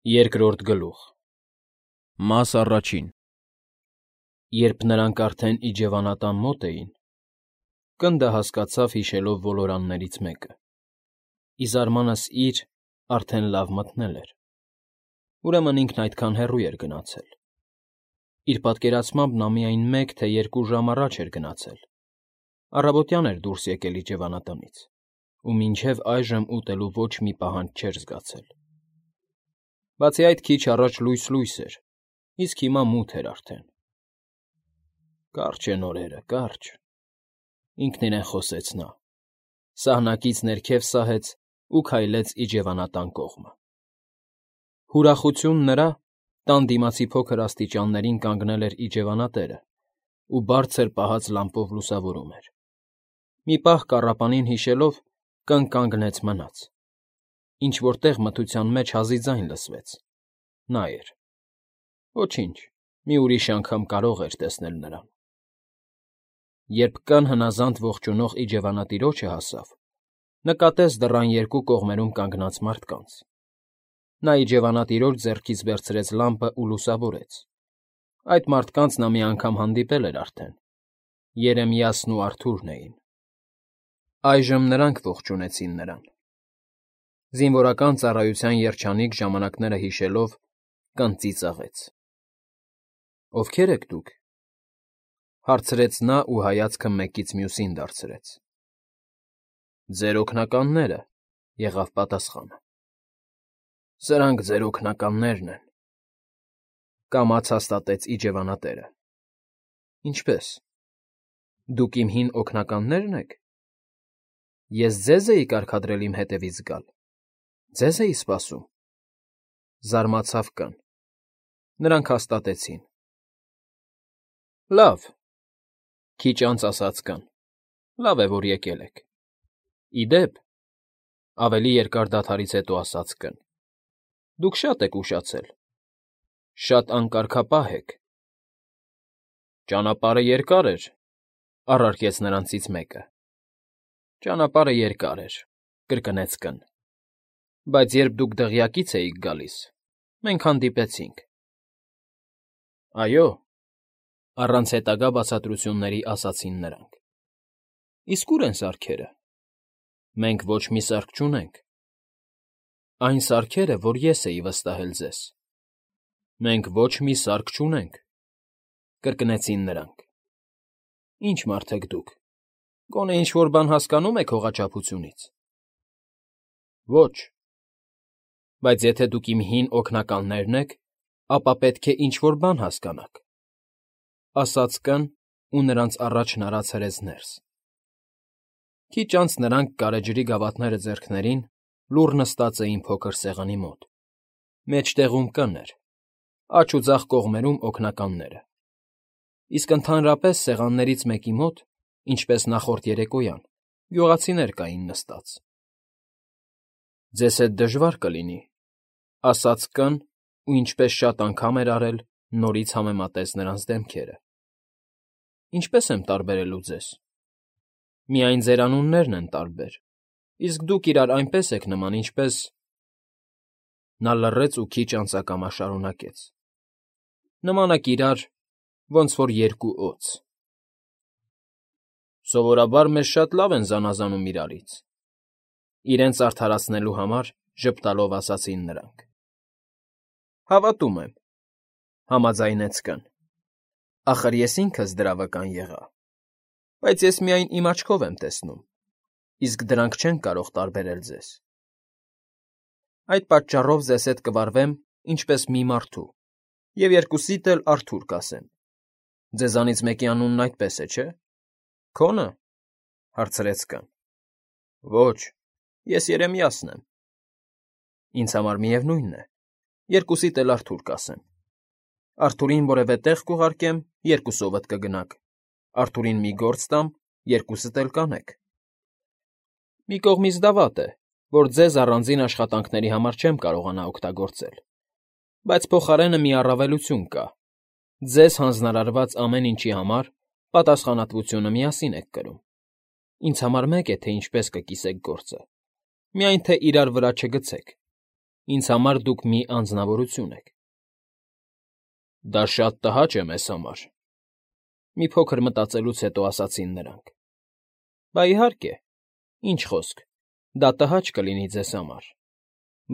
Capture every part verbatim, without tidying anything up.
Երկրորդ գլուխ Մաս առաջին Երբ նրանք արդեն իջևանատան մոտ էին, կնդը հասկացավ հիշելով ոլորաններից մեկը. ի զարմանս իր, արդեն լավ մթնել էր, ուրեմն ինքն այդքան հեռու էր գնացել. իր պատկերացմամբ նա միայն մեկ, թե երկու ժամ առաջ էր գնացել, առավոտյան էր դուրս եկել իջևանատնից ու մինչև այժմ ուտելու ոչ մի պահանջ չէր զգացել. Բացի այդ, քիչ առաջ լույս֊լույս էր, իսկ հիմա մութ էր արդեն։ Կարճ են օրերը, կարճ, ինքն իրեն խոսեց նա, սահնակից ներքև սահեց ու քայլեց իջևանատան կողմը։ Հուրախություն նրա, տան դիմացի փոքր աստիճաններին կանգնել էր իջևանատերը ու բարձր պահած լամպով լուսավորում էր։ Մի պահ կառապանին հիշելով, կանգ֊կանգնեց մնաց։ Ինչ֊որ տեղ մթության մեջ հազի ձայն լսվեց. նա էր։ Ոչինչ, մի ուրիշ անգամ կարող էր տեսնել նրան։ Երբ կան հնազանդ ողջունող իջևանատիրոջը հասավ, նկատեց դռան երկու կողմերում կանգնած մարդկանց։ Նա իջևանատիրոջ ձեռքից վերցրեց լամպը ու լուսավորեց։ Այդ մարդկանց նա մի անգամ հանդիպել էր արդեն. Երեմիասն ու Արթուրն էին։ Այժմ նրանք ողջունեցին նրան։ Զինվորական ծառայության երջանիկ ժամանակները հիշելով, կն ծիծաղեց։ Ովքե՞ր եք դուք,֊ հարցրեց նա ու հայացքը մեկից մյուսին դարձրեց։ Ձեր օգնականները,֊ եղավ պատասխանը։ Սրանք ձեր օգնականներն են,֊ կամաց հաստատեց իջևանատերը։ Ինչպե՞ս, դուք իմ հին օգնականնե՞րն եք։ Ես ձեզ էի կարգադրել իմ հետևից գալ, ձեզ էի սպասում,֊ զարմացավ կն։ Նրանք հաստատեցին։ Լավ,֊ քիչ անց ասաց կն,֊ լավ է, որ եկել եք։ Ի դեպ,֊ ավելի երկար դադարից հետո ասաց կն,֊ դուք շատ եք ուշացել, շատ անկարգապահ եք։ Ճանապարհը երկար էր,֊ առարկեց նրանցից մեկը։ Ճանապարհը երկար էր,֊ կրկնեց կն,֊ բայց երբ դուք դղյակից էիք գալիս, մենք հանդիպեցինք։ Այո,֊ առանց հետագա բացատրությունների ասացին նրանք։ Իսկ ո՞ւր են սարքերը։ Մենք ոչ մի սարք չունենք։ Այն սարքերը, որ ես էի վստահել ձեզ։ Մենք ոչ մի սարք չունենք,֊ կրկնեցին նրանք։ Ի՞նչ մարդ եք դուք, գոնե ինչ֊որ բան հասկանո՞ւմ եք հողաչափությունից։ Ոչ։ Բայց եթե դուք իմ հին օգնականներն եք, ապա պետք է ինչ֊որ բան հասկանաք,֊ ասաց կն ու նրանց առաջ հնարած հրեց ներս։ Քիչ անց նրանք գարեջրի գավաթները ձեռքներին լուռ նստած էին փոքր սեղանի մոտ։ Մեջտեղում կն էր, աջ ու ձախ կողմերում օգնականները։ Իսկ ընդհանրապես սեղաններից մեկի մոտ, ինչպես նախորդ երեկոյան, գյուղացիներ կային նստած։ Ձեզ հետ դժվար կլինի,֊ ասաց կն ու ինչպես շատ անգամ էր արել, նորից համեմատեց նրանց դեմքերը։ Ինչպե՞ս եմ տարբերելու ձեզ։ Միայն ձեր անուններն են տարբեր, իսկ դուք իրար այնպես եք նման, ինչպես… Նա լռեց ու քիչ անց ակամա շարունակեց. Նման եք իրար, ոնց որ երկու օձ։ Սովորաբար մեզ շատ լավ են զանազանում իրարից,֊ իրենց արդարացնելու համար ժպտալով ասացին նրանք։ Հավատում եմ,֊ համաձայնեց կն։ Ախր ես ինքս դրա վկան եղա, բայց ես միայն իմ աչքով եմ տեսնում, իսկ դրանք չեն կարող տարբերել ձեզ։ Այդ պատճառով ձեզ հետ կվարվեմ ինչպես մի մարդու և երկուսիդ էլ Արթուր կասեմ։ Ձեզանից մեկի անունն այդպես է, չէ՞։ Քո՞նը,֊ հարցրեց կն։ Ոչ, ես Երեմիասն եմ։ Ինձ համար միևնույն է, երկուսիդ էլ Արթուր կասեմ։ Արթուրին որևէ տեղ կուղարկեմ, երկուսովդ կգնաք, Արթուրին մի գործ տամ, երկուսդ էլ կանեք։ Մի կողմից դա վատ է, որ ձեզ առանձին աշխատանքների համար չեմ կարողանա օգտագործել, բայց փոխարենը մի առավելություն կա. ձեզ հանձնարարված ամեն ինչի համար պատասխանատվությունը միասին եք կրում։ Ինձ համար մեկ է, թե ինչպես կկիսեք գործը, միայն թե իրար վրա չգցեք։ Ինձ համար դուք մի անձնավորություն եք։ Դա շատ տհաճ է մեզ համար, մի փոքր մտածելուց հետո ասացին նրանք։ Բա իհարկե, ինչ խոսք, դա տհաճ կլինի ձեզ համար,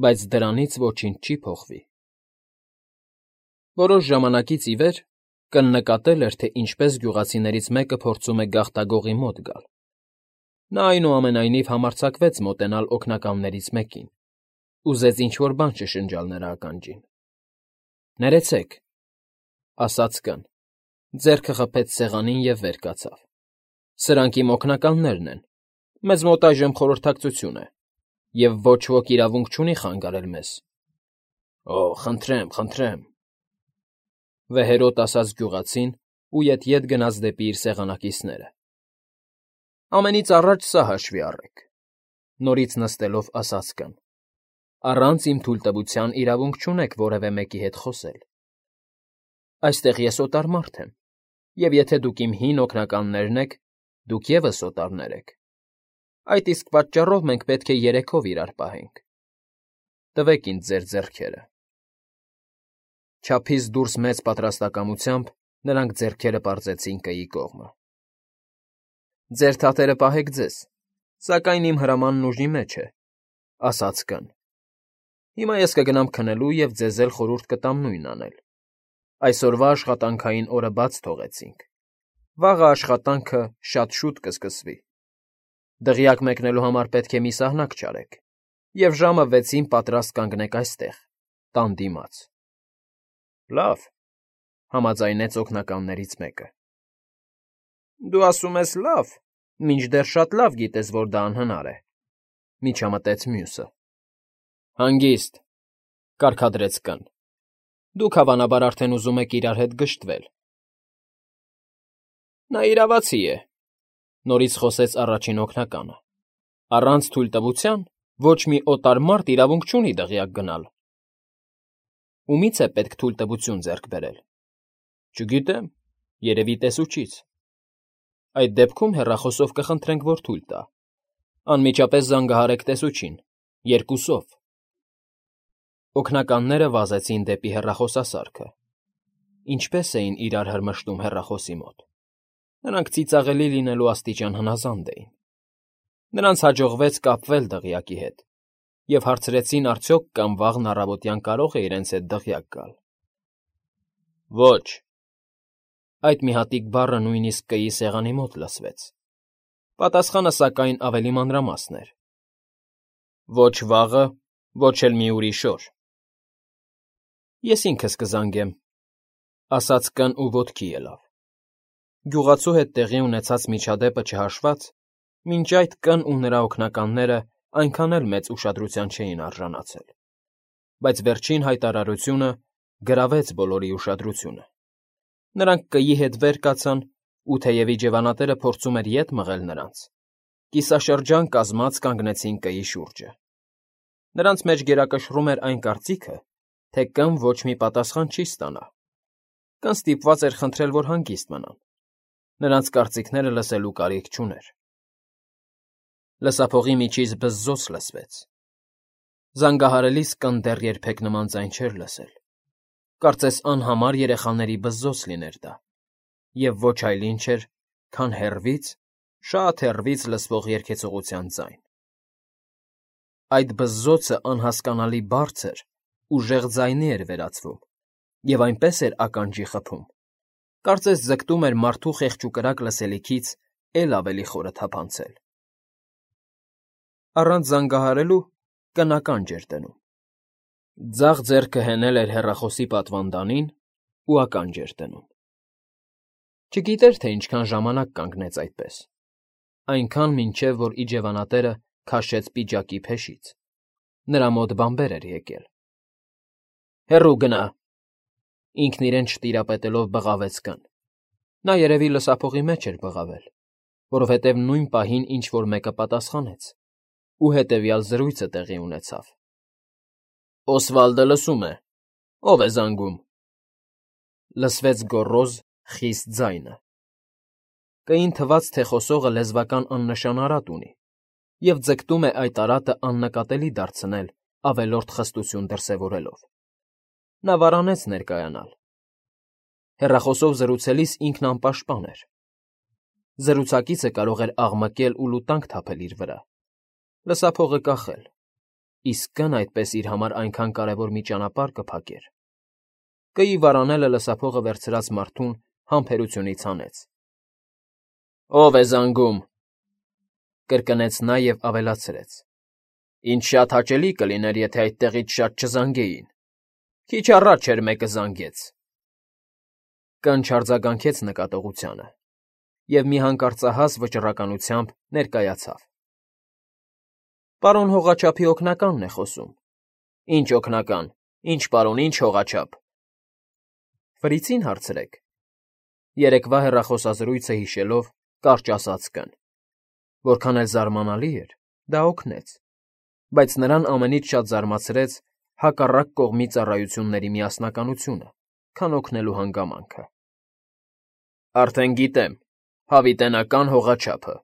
բայց դրանից ոչինչ չի փոխվի։ Որոշ ժամանակից ի վեր կնկատել էր, թե ինչպես գյուղացիներից մեկը փորձում է գաղտագողի մոտ գալ։ Նա այնուամենայնիվ համարձակվեց մոտենալ օգնականներից մեկին, ուզեց ինչ֊որ բան շշնջալ նրա ականջին։ Ներեցեք, ասաց կն, ձեռքը խփեց սեղանին և վեր կացավ։ Սրանք իմ օգնականներն են, մեզ մոտ այժմ խորհրդակցություն է, և ոչ ոք իրավունք չունի խանգարել մեզ։ Օ, խնդրեմ, խնդրեմ, վեհերոտ ասաց գյուղացին ու ետ֊ետ գնաց դեպի իր սեղանակիցները։ Ամենից առաջ սա հաշվի առեք, նորից նստելով ասաց կն, առանց իմ թույլտվության իրավունք չունեք որևէ մեկի հետ խոսել։ Այստեղ ես օտար մարդ եմ, և եթե դուք իմ հին օգնականներն եք, դուք ևս օտարներ եք։ Այդ իսկ պատճառով մենք պետք է երեքով իրար պահենք։ Տվեք ինձ ձեր ձեռքերը։ Չափից դուրս մեծ պատրաստակամությամբ նրանք ձեռքերը պարզեցին կգի կողմը։ Ձեր թաթերը պահեք ձեզ, սակայն իմ հրամանն ուժի մեջ է, ասաց կն։ Հիմա ես կգնամ քնելու և ձեզ էլ խորհուրդ կտամ նույնն անել։ Այսօրվա աշխատանքային օրը բաց թողեցինք։ Վաղը աշխատանքը շատ շուտ կսկսվի։ Դղյակ մեկնելու համար պետք է մի սահնակ չարեք, և ժամը վեցին պատրաստ կանգնեք այստեղ, տան դիմաց։ Լավ, համաձայնեց օգնականներից մեկը։ Դու ասում ես լավ, մինչդեռ շատ լավ գիտես, որ դա անհնար է, միջամտեց մյուսը։ Հանգիստ, կարգադրեց կն։ Դուք հավանաբար արդեն ուզում եք իրար հետ գժտվել։ Նա իրավացի է, նորից խոսեց առաջին օգնականը։ Առանց թույլտվության ոչ մի օտար մարդ իրավունք չունի դղյակ գնալ։ Ումից է պետք թույլտվություն ձեռք բերել։ Չգիտեմ, երևի տեսուչից։ Այդ դեպքում հեռախոսով կխնդրենք, որ թույլ տա։ Անմիջապես զանգահարեք տեսուչին, երկուսով։ Օգնականները վազեցին դեպի հեռախոսասարքը։ Ինչպես էին իրար հրմշտում հեռախոսի մոտ։ Նրանք ծիծաղելի լինելու աստիճան հնազանդ էին։ Նրանց հաջողվեց կապվել դղյակի հետ, և հարցրեցին արդյոք կամ վաղն առավոտյան կարող է իրենց հետ դղյակ գալ։ Ոչ։ Այդ մի հատիկ բառը նույնիսկ կգի սեղանի մոտ լսվեց։ Պատասխանը, սակայն, ավելի մանրամասն էր։ Ոչ վաղը, ոչ էլ մի ուրիշ օր։ Ես ինքս կզանգեմ, ասաց կն ու ոտքի ելավ։ Գյուղացու հետ տեղի ունեցած միջադեպը չհաշված, մինչ այդ կն ու նրա օգնականները այնքան էլ մեծ ուշադրության չէին արժանացել։ Բայց վերջին հայտարարությունը գրավեց բոլորի ուշադրությունը։ Նրանք կգի հետ վեր կացան, ու թեև իջևանատերը փորձում էր ետ մղել նրանց, կիսաշրջան կազմած կանգնեցին կգի շուրջը։ Նրանց մեջ գերակշռում էր այն կարծիքը, թե կն ոչ մի պատասխան չի ստանա։ Կն ստիպված էր խնդրել, որ հանգիստ մնան։ Նրանց կարծիքները լսելու կարիք չուներ։ Լսափողի միջից բզզոց լսվեց։ Զանգահարելիս կն դեռ երբեք նման ձայն չէր լսել։ Կարծես անհամար երեխաների բզզոց լիներ դա, և ոչ այլ ինչ էր, քան հեռվից, շատ հեռվից լսվող երգեցողության ձայն։ Այդ բզզոցը անհասկանալի բարձր, ուժեղ ձայնի էր վերածվում, և այնպես էր ականջի խփում, կարծես ձգտում էր մարդու խեղճուկրակ լսելիքից էլ ավելի խորը թափանցել։ Առանց զանգահարելու կն ականջ էր դնում։ Ձախ ձեռքը հենել էր հեռախոսի պատվանդանին ու ականջ էր դնում։ Չգիտեր, թե ինչքան ժամանակ կանգնեց այդպես, այնքան, մինչև որ իջևանատերը քաշեց պիջակի փեշից։ Նրա մոտ բանբեր էր եկել։ Հեռու գնա, ինքն իրեն չտիրապետելով բղավեց կն։ Նա երևի լսափողի մեջ էր բղավել, որովհետև նույն պահին ինչ֊որ մեկը պատասխանեց, ու հետևյալ զրույցը տեղի ունեցավ. Օսվալդը լսում է, ո՞վ է զանգում։ Լսվեց գոռոզ, խիստ ձայնը։ Կին թվաց, թե խոսողը լեզվական աննշան արատ ունի և ձգտում է այդ արատը աննկատելի դարձնել ավելորդ խստություն դրսևորելով։ Նա վարանեց ներկայանալ։ Հեռախոսով զրուցելիս ինքն անպաշտպան էր։ Զրուցակիցը կարող էր աղմկել ու լուտանք թափել իր վրա, լսափողը կախել, իսկ կն այդպես իր համար այնքան կարևոր մի ճանապարհ կփակեր։ Կի վարանելը լսափողը վերցրած մարդուն համբերությունից հանեց։ «Ո՞վ է զանգում», կրկնեց նա և ավելացրեց. «Ինչ շատ հաճելի կլիներ, եթե այդտեղից շատ չզանգեին։ Քիչ առաջ էր մեկը զանգեց»։ Կն չարձագանքեց նկատողությանը և մի հանկարծահաս վճռականությամբ ներկայացավ. «Պարոն հողաչափի օգնականն է խոսում»։ «Ինչ օգնական, ինչ պարոն, ինչ հողաչափ»։ «Ֆրիցին հարցրեք»։ Երեկվա հեռախոսազրույցը հիշելով, կարճ ասաց կն։ Որքան էլ զարմանալի էր, դա օգնեց, բայց նրան ամենից շատ զարմացրեց հակառակ կողմի ծառայությունների միասնականությունը, քան օգնելու հանգամանքը։ «Արդեն գիտեմ, հավիտենական հողաչափը։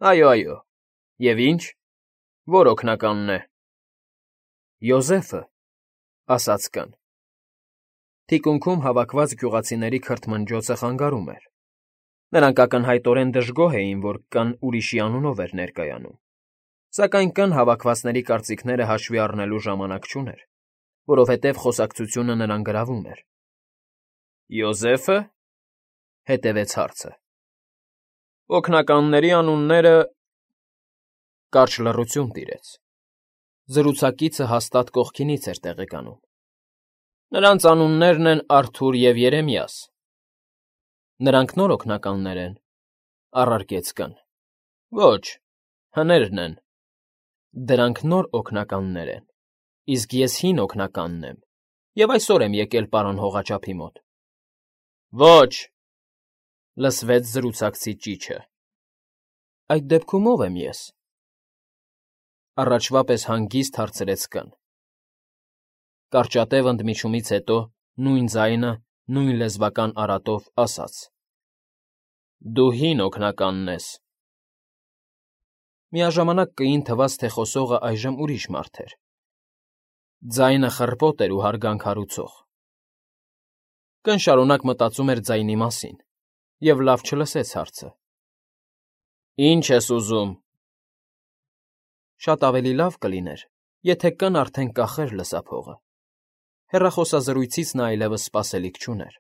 Այո, այո։ Եվ ինչ, ո՞ր օգնականն է»։ «Յոզեֆը», ասաց կն։ Թիկունքում հավաքված գյուղացիների քրթմնջոցը խանգարում էր։ Նրանք ակնհայտորեն դժգոհ էին, որ կն ուրիշի անունով էր ներկայանում, սակայն կն հավաքվածների կարծիքները հաշվի առնելու ժամանակ չուներ, որովհետև խոսակցությունը նրան գրավում էր։ «Յոզեֆը,» հետևեց հարցը։ «Օգնականների անունները…» Կարճ լռություն տիրեց։ Զրուցակիցը հաստատ կողքինից էր տեղեկանում։ «Նրանց անուններն են Արթուր և Երեմիաս»։ «Նրանք նոր օգնականներ են,֊ առարկեց կն։ Ոչ, հներն են։ Դրանք նոր օգնականներ են, իսկ ես հին օգնականն եմ և այսօր եմ եկել պարոն հողաչափի մոտ։ Ոչ,֊ լսվեց զրուցակցի ճիչը։ Այդ դեպքում ո՞վ եմ ես։ Առաջվա պես հանգիստ հարցրեց կն։ Կարճատև ընդմիջումից հետո նույն ձայնը, նույն լեզվական արատով ասաց. Դու հին օգնականն ես։ Միաժամանակ կին թվաց, թե խոսողը այժմ ուրիշ մարդ էր։ Ձայնը խռպոտ էր ու հարգանք հարուցող։ Կն շարունակ մտածում էր ձայնի մասին և լավ չլսեց հարցը։ Ինչ ես ուզում։ Շատ ավելի լավ կլիներ, եթե կն արդեն կախեր լսափողը։ Հեռախոսազրույցից նա այլևս սպասելիք չուներ,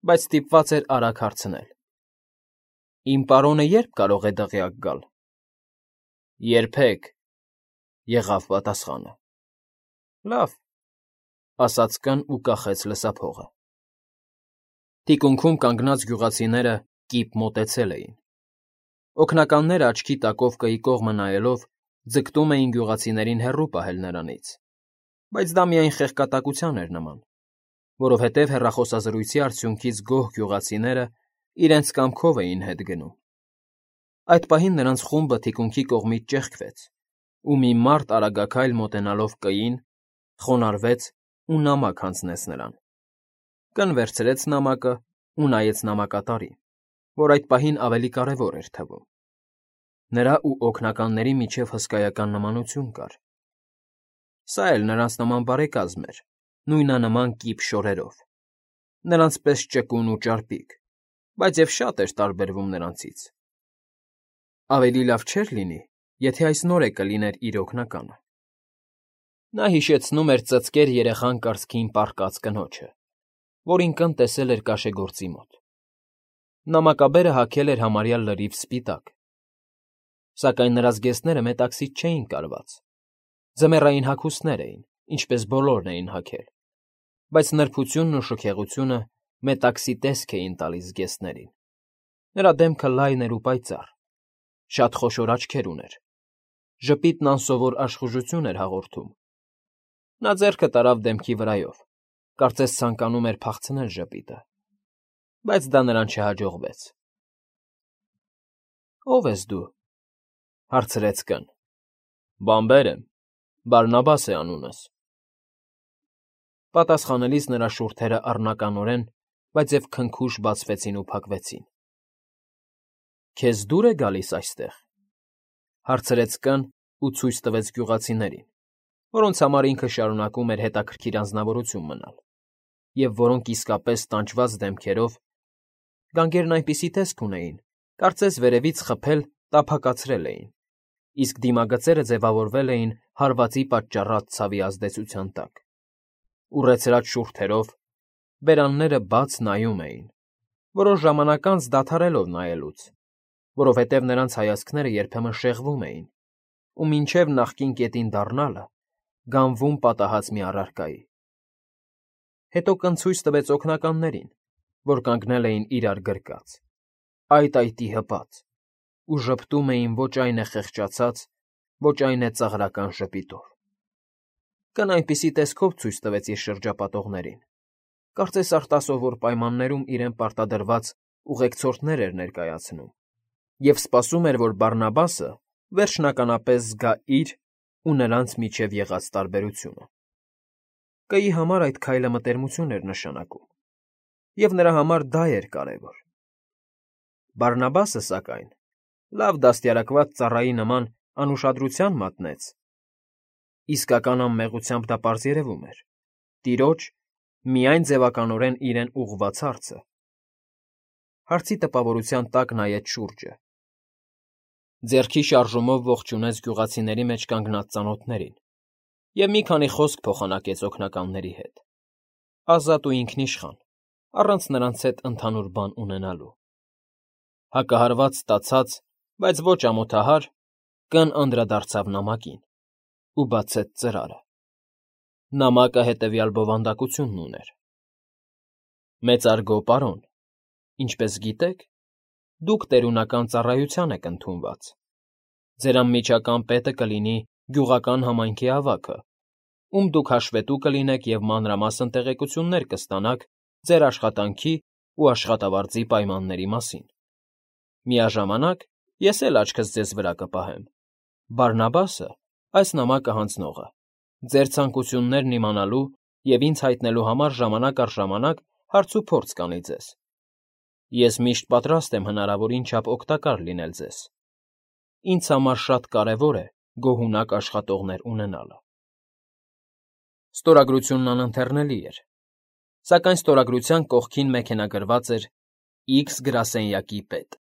բայց ստիպված էր արագ հարցնել. Իմ պարոնը ե՞րբ կարող է դղյակ գալ։ Երբեք,֊ եղավ պատասխանը։ Լավ,֊ ասաց կն ու կախեց լսափողը։ Թիկունքում կանգնած գյուղացիները կիպ մոտեցել էին։ Օգնականները աչքի տակով կի կողմը նայելով ձգտում էին գյուղացիներին հեռու պահել նրանից, բայց դա միայն խեղկատակության էր նման, որովհետև հեռախոսազրույցի արդյունքից գոհ գյուղացիները իրենց կամքով էին հետ գնում։ Այդ պահին նրանց խումբը թիկունքի կողմից ճեղքվեց, ու մի մարդ արագաքայլ մոտենալով կին, խոնարհվեց ու նամակ հանձնեց նրան։ Կն վերցրեց նամակը ու նայեց նամակատարին, որ այդ պահին ավելի կարևոր էր թվում։ Նրա ու օգնականների միջև հսկայական նմանություն կար։ Սա էլ նրանց նման բարեկազմ էր, նույնանման կիպ շորերով, նրանց պես ճկուն ու ճարպիկ, բայց և շատ էր տարբերվում նրանցից։ Ավելի լավ չէր լինի, եթե այս նորեկը լիներ իր օգնականը։ Նա հիշեցնում էր ծծկեր երեխան կառքին պառկած կնոջը, որին կն տեսել էր կաշեգործի մոտ։ Նամակաբերը հագել էր համարյա լրիվ սպիտակ, սակայն նրա զգեստները մետաքսից չէին կարված, ձմեռային հագուստներ էին, ինչպես բոլորն էին հագել, բայց նրբությունն ու շքեղությունը մետաքսի տեսք էին տալիս զգեստներին։ Նրա դեմքը լայն էր ու պայծառ, շատ խոշոր աչքեր ուներ, ժպիտն անսովոր աշխուժություն էր հաղորդում։ Նա ձեռքը տարավ դեմքի վրայով, կարծես ցանկանում էր փախցնել ժպիտը, բայց դա նրան չհաջողվեց։ Ո՞վ ես դու,֊ հարցրեց կն։ Բանբեր եմ, Բարնաբաս է անունս։ Պատասխանելիս նրա շուրթերը առնականորեն, բայց և քնքուշ բացվեցին ու փակվեցին։ Քեզ դուր է գալիս այստեղ,֊ հարցրեց կն ու ցույց տվեց գյուղացիներին։ որոնց համար ինքը շարունակում էր հետաքրքիր անձնավորություն մնալ, և որոնք իսկապես տանջված դեմքերով, գանգերն այնպիսի տեսք ունեին, կարծես վերևից խփել տափակացրել էին, իսկ դիմագծերը ձևավորվել էին հարվածի պատճառած ցավի ազդեցության տակ, ուռեցրած շուրթերով, բերանները բաց նայում էին, որոշ ժամանակ անց դադարելով նայելուց, որովհետև նրանց հայացքները երբեմն շեղվում էին ու մինչև նախկին կետին դառնալը գանվում պատահած մի առարկայի։ Հետո կնցույց տվեց օգնականներին, որ կանգնել էին իրար գրկած, այդ այտի հպած, ու ժպտում էին ոչ այն է խեղճացած, ոչ այն է ծաղրական ժպիտով։ Կն այնպիսի տեսքով ցույց տվեց իր շրջապատողներին, կարծես արտասովոր պայմաններում իրեն պարտադրված ուղեկցորդներ էր ներկայացնում և սպասում էր, որ Բարնաբասը վերջնականապես զգա իր ու նրանց միջև եղած տարբերությունը։ Կայի համար այդ քայլը մտերմություն էր նշանակում, և նրա համար դա էր կարևոր։ Բարնաբասը, սակայն, լավ դաստիարակված ծառայի նման անուշադրության մատնեց, իսկական անմեղությամբ դա պարզ երևում էր, տիրոջ, միայն ձևականորեն իրեն ուղղված հարցը։ Հարցի տպավորության տակ նայեց շուրջը, ձեռքի շարժումով ողջունեց գյուղացիների մեջ կանգնած ծանոթներին և մի քանի խոսք փոխանակեց օգնականների հետ, ազատ ու ինքնիշխան, առանց նրանց հետ ընդհանուր բան ունենալու։ Հակահարված ստացած, բայց ոչ ամոթահար, կն անդրադարձավ նամակին ու բացեց ծրարը։ Նամակը հետևյալ բովանդակությունն ուներ. Մեծարգո պարոն, ինչպես գիտեք, դուք տերունական ծառայության եք ընդունված, ձեր անմիջական պետը կլինի գյուղական համայնքի ավագը, ում դուք հաշվետու կլինեք և մանրամասն տեղեկություններ կստանաք ձեր աշխատանքի ու աշխատավարձի պայմանների մասին։ Միաժամանակ ես էլ աչքս ձեզ վրա կպահեմ, Բարնաբասը, այս նամակը հանձնողը, ձեր ցանկություններն իմանալու և ինձ հայտնելու համար ժամանակ առ ժամանակ հարցուփորձ կանի ձեզ։ Ես միշտ պատրաստ եմ հնարավորին չափ օգտակար լինել ձեզ։ Ինձ համար շատ կարևոր է գոհունակ աշխատողներ ունենալը։ Ստորագրությունն անընթեռնելի էր, սակայն ստորագրության կողքին մեքենագրված էր Իքս գրասենյակի պետ։